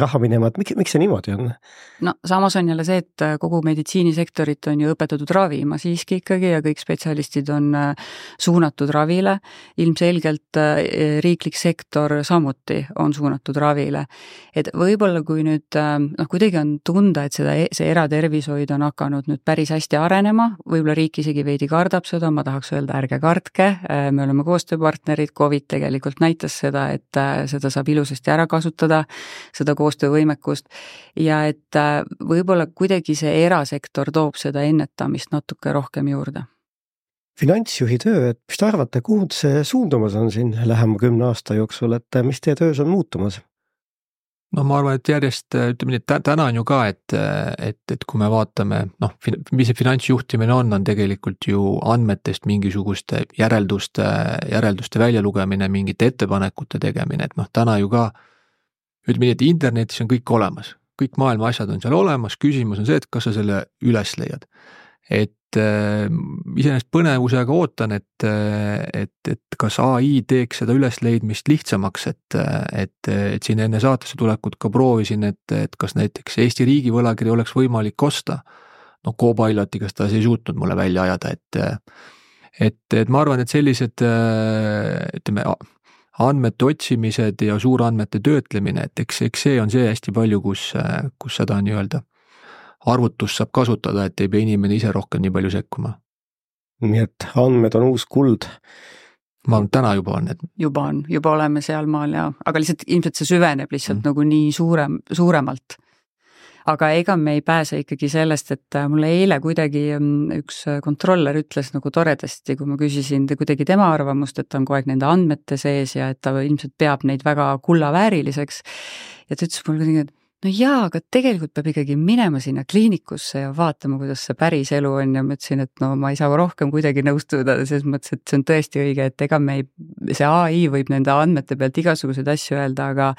raha minema, et miks see niimoodi on? No samas on jälle see, et kogu meditsiinisektorit on ju õpetatud ravima siiski ikkagi ja kõik spetsialistid on suunatud ravile. Ilmselgelt riiklik sektor samuti on suunatud ravile. Et võib-olla kui nüüd kuidagi on tunda, et see eratervishoid on hakanud nüüd päris hästi arenema, võib-olla riik isegi veidi kardab seda, ma tahaks öelda, ärge kardke, me oleme koostööpartnerid, COVID tegelikult näitas seda, et seda saab ilusasti ära kasutada, seda koostöövõimekust ja et võib-olla kuidagi see erasektor toob seda ennetamist natuke rohkem juurde. Finantsjuhi töö, et mis te arvate, kuhu see suundumas on siin lähema 10 aasta jooksul, et mis teie töös on muutumas? No ma arvan, et järjest, ütleme nii, täna on ju ka, et kui me vaatame, noh, mis see finantsjuhtimine on tegelikult ju andmetest mingisuguste järelduste väljalugemine, mingite ettepanekute tegemine, et noh, täna ju ka, ütleme nii, et internetis on kõik olemas, kõik maailma asjad on seal olemas, küsimus on see, et kas sa selle üles leiad. Et iseenesest põnevusega ootan, et kas AI teeks seda ülesleidmist lihtsamaks, et siin enne saatesse tulekut ka proovisin, et kas näiteks Eesti riigi võlakiri oleks võimalik osta. No Copiloti, kas ta ei suutnud mulle välja ajada, et ma arvan, et sellised ütleme, andmete otsimised ja suurandmete töötlemine, et eks see on see hästi palju, kus seda nii-öelda arvutust saab kasutada, et ei pea inimene ise rohkem nii palju sekkuma. Nii et andmed on uus kuld. Ma arvan, täna juba on. Juba oleme seal maal ja, aga lihtsalt ilmselt see süveneb lihtsalt nagu nii suuremalt. aga ega me ei pääse ikkagi sellest, et mulle eile kuidagi üks kontroller ütles nagu toredasti, kui ma küsisin kuidagi tema arvamust, et ta on kogu aeg nende andmete sees ja et ta ilmselt peab neid väga kullavääriliseks. Ja ta ütles mulle kuidagi, et no jaa, aga tegelikult peab ikkagi minema sinna kliinikusse ja vaatama, kuidas see päris elu on ja ma ütlesin, et no ma ei saa rohkem kuidagi nõustuda, selles mõttes, et see on tõesti õige, et ega see AI võib nende andmete pealt igasuguseid asju öelda, aga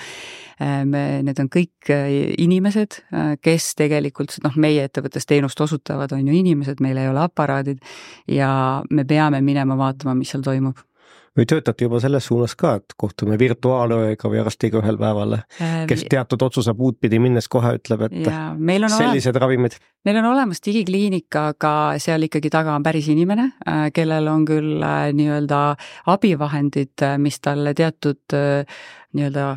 need on kõik inimesed, kes tegelikult, meie ettevõttes teenust osutavad, on ju inimesed, meil ei ole aparaadid ja me peame minema vaatama, mis seal toimub. Või töötate juba selles suunas ka, et kohtume virtuaalööga või arstiga ühel päeval, kes teatud otsuse puud pidi minnes kohe ütleb, et sellised ravimid. Meil on olemas digikliinika, aga seal ikkagi taga on päris inimene, kellel on küll nii-öelda abivahendid, mis talle teatud nii-öelda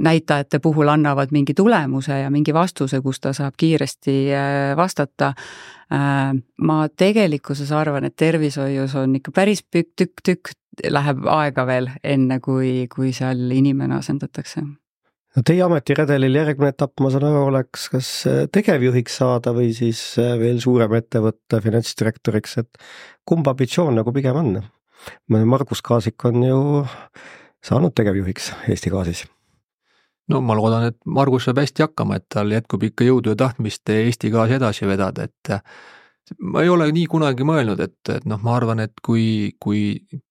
näitajate puhul annavad mingi tulemuse ja mingi vastuse, kus ta saab kiiresti vastata. Ma tegelikkuses arvan, et tervishoius on ikka päris tükk läheb aega veel enne, kui seal inimene asendatakse. No teie ametiredelil järgmine etapp, ma saan aru, oleks kas tegevjuhiks saada või siis veel suurem ettevõtte finantsdirektoriks, et kumb ambitsioon nagu pigem on? Margus Kaasik on ju saanud tegevjuhiks Eesti Gaasis. No ma loodan, et Margus saab hästi hakkama, et tal jätkub ikka jõudu ja tahtmist Eesti Gaasi edasi vedada, et ma ei ole nii kunagi mõelnud, et ma arvan, et kui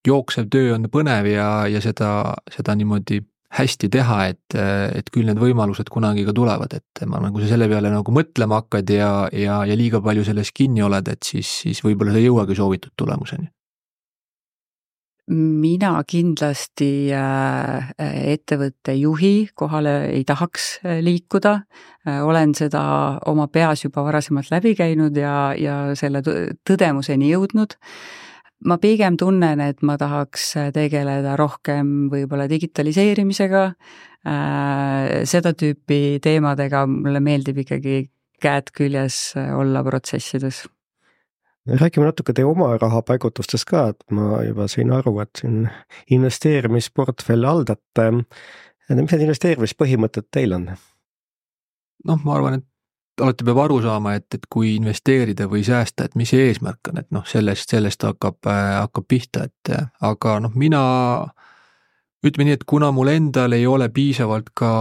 jooksev töö on põnev ja seda niimoodi hästi teha, et küll need võimalused kunagi ka tulevad, et ma nagu selle peale nagu mõtlema hakkad ja liiga palju selles kinni oled, et siis võib-olla sa ei jõuagi soovitud tulemuseni. Mina kindlasti ettevõtte juhi kohale ei tahaks liikuda, olen seda oma peas juba varasemalt läbi käinud ja selle tõdemuseni jõudnud. Ma pigem tunnen, et ma tahaks tegeleda rohkem võib-olla digitaliseerimisega, seda tüüpi teemadega, mulle meeldib ikkagi käed küljes olla protsessides. Räägime natuke teie oma rahapaigutustest ka, et ma juba sain aru, et siin investeerimisportfelli haldate. Mis need investeerimispõhimõtted teil on? Ma arvan, et alati peab aru saama, et kui investeerida või säästa, et mis see eesmärk on, et sellest hakkab pihta, aga mina ütleme nii, et kuna mul endal ei ole piisavalt ka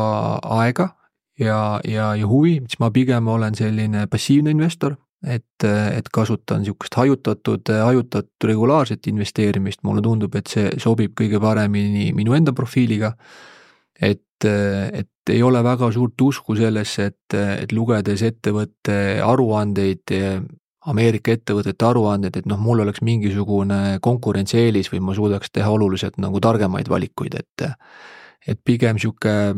aega ja huvi, siis ma pigem olen selline passiivne investor, et kasutan niisugust hajutatud regulaarset investeerimist, mulle tundub, et see sobib kõige paremini minu enda profiiliga, et ei ole väga suurt usku sellesse, et lugedes ettevõtte aruandeid, Ameerika ettevõtete aruandeid, et mul oleks mingisugune konkurentsieelis või ma suudaks teha oluliselt nagu targemaid valikuid, et pigem sihuke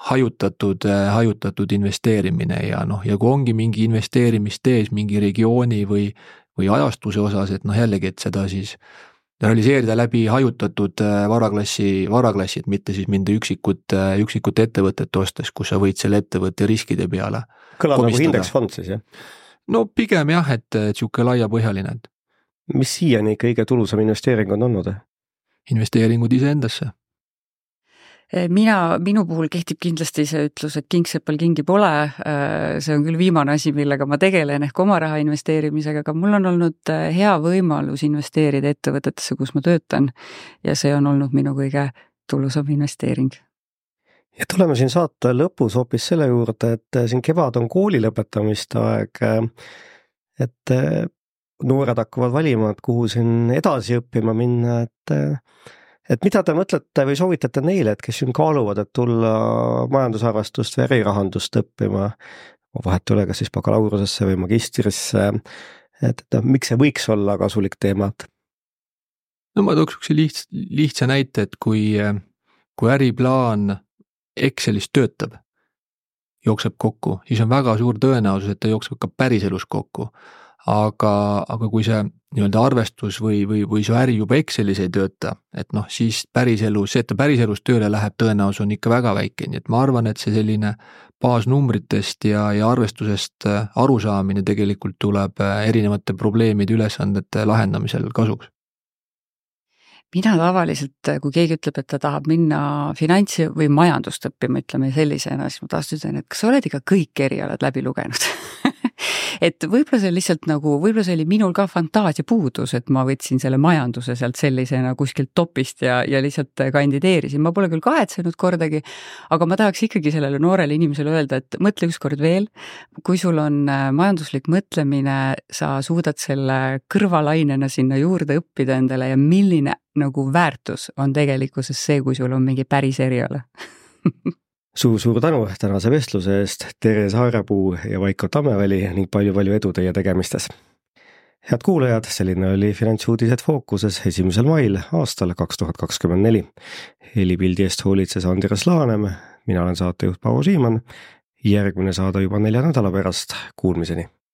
hajutatud investeerimine ja kui ongi mingi investeerimistees mingi regiooni või ajastuse osas, et jällegi, et seda siis realiseerida läbi hajutatud varaklassi, et mitte siis minna üksikut ettevõtet ostes, kus sa võid selle ettevõtte riskide peale kõlab nagu indeksfond siis, jah? No pigem jah, et sihuke laiapõhjaline. Mis siiani kõige tulusam investeering on olnud? Investeeringud iseendasse. Minu puhul kehtib kindlasti see ütlus, et kingsepal kingi pole, see on küll viimane asi, millega ma tegelen ehk oma raha investeerimisega, aga mul on olnud hea võimalus investeerida ettevõtetesse, kus ma töötan ja see on olnud minu kõige tulusam investeering. Ja tuleme siin saate lõpus hoopis selle juurde, et siin kevad on kooli lõpetamist aeg, et noored hakkavad valima, et kuhu siin edasi õppima minna, et mida te mõtlete või soovitate neile, et kes siin kaaluvad, et tulla majandusarvestust või ärirahandust õppima, vahet üle, kas siis bakalaureusesse või magistrisse, et miks see võiks olla kasulik teema? No ma tooks lihtsa näite, et kui äriplaan Excelis töötab, jookseb kokku, siis on väga suur tõenäosus, et ta jookseb ka päriselus kokku. Aga kui see nii-öelda arvestus või see äri juba Excelis ei tööta, et siis päriselus, see, et ta päriselus tööle läheb, tõenäosus on ikka väga väike, nii et ma arvan, et see selline baasnumbritest ja arvestusest arusaamine tegelikult tuleb erinevate probleemide ülesandete lahendamisel kasuks. mina tavaliselt, kui keegi ütleb, et ta tahab minna finantsi või majandust õppima, ütleme sellisena, siis ma taas ütlen, et kas sa oled ikka kõik erialad läbi lugenud? Et võib-olla see lihtsalt nagu, võib-olla see oli minul ka fantaasia puudus, et ma võtsin selle majanduse sealt sellisena kuskilt topist ja lihtsalt kandideerisin. Ma pole küll kahetsenud kordagi, aga ma tahaks ikkagi sellele noorele inimesele öelda, et mõtle ükskord veel, kui sul on majanduslik mõtlemine, sa suudad selle kõrvalainena sinna juurde õppida endale ja milline nagu väärtus on tegelikkuses see, kui sul on mingi päris eriala. Suur tänu tänase vestluse eest, Tere Saarepuu ja Vaiko Tammeväli ning palju edu teie tegemistes. Head kuulajad, selline oli Finantsuudised Fookuses 1. mail aastal 2024. Helipildi eest hoolitses Andres Laanem, mina olen saatejuht Paavo Siimann, järgmine saade juba 4 nädala pärast, kuulmiseni.